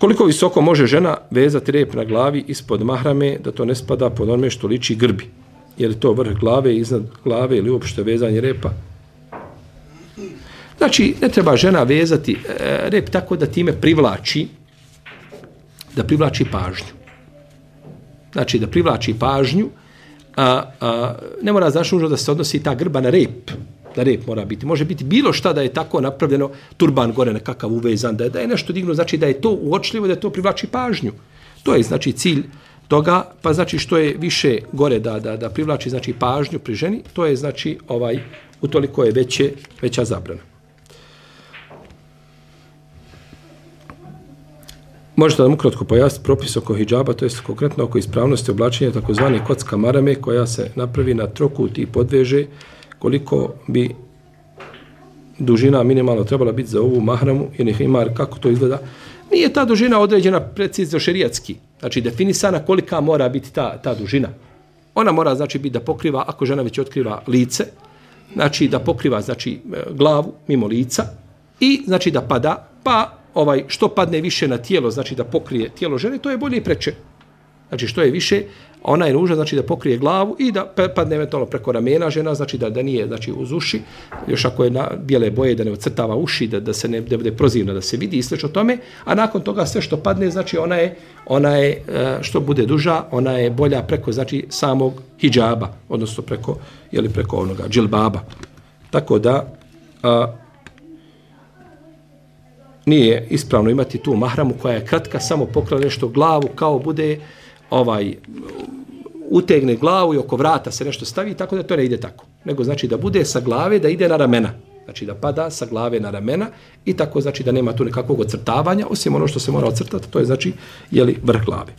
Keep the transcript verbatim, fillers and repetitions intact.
Koliko visoko može žena vezati rep na glavi ispod mahrame, da to ne spada pod onome što liči grbi? Je li to vrh glave, iznad glave ili uopšte vezanje repa? Znači, ne treba žena vezati e, rep tako da time privlači, da privlači pažnju. Znači, da privlači pažnju, a, a, ne mora znači nužno da se odnosi ta grba na rep. Na rep mora biti. Može biti bilo šta da je tako napravljeno, turban gore nekakav uvezan, da je, da je nešto digno, znači da je to uočljivo, da je to privlači pažnju. To je znači cilj toga, pa znači što je više gore da, da, da privlači znači pažnju pri ženi, to je znači ovaj, utoliko je veće, veća zabrana. Možete nam ukratko pojasniti propis oko hidžaba, to je konkretno oko ispravnosti oblačenja takozvani kocka marame koja se napravi na trokut i podveže, koliko bi dužina minimalno trebala biti za ovu mahramu ili himar, kako to izgleda. Nije ta dužina određena precizno šerijatski, znači definisana kolika mora biti ta, ta dužina. Ona mora znači biti da pokriva, ako žena već otkriva lice, znači da pokriva znači glavu mimo lica i znači da pada, pa ovaj što padne više na tijelo, znači da pokrije tijelo žene, to je bolje i preče. Znači što je više, ona je nužna znači da pokrije glavu i da padne eventualno preko ramena žena, znači da da nije znači uz uši, još ako je na bijele boje da ne ocrtava uši, da da se ne da bude prozirno da se vidi i slično tome, a nakon toga sve što padne znači ona je ona je što bude duža, ona je bolja preko znači samog hidžaba, odnosno preko je li preko onoga džilbaba. Tako da a, nije ispravno imati tu mahramu koja je kratka, samo pokriva nešto glavu, kao bude ovaj utegne glavu i oko vrata se nešto stavi, tako da to ne ide tako. Nego znači da bude sa glave, da ide na ramena. Znači da pada sa glave na ramena i tako znači da nema tu nekakvog ocrtavanja, osim ono što se mora ocrtati, to je znači jeli vrh glave.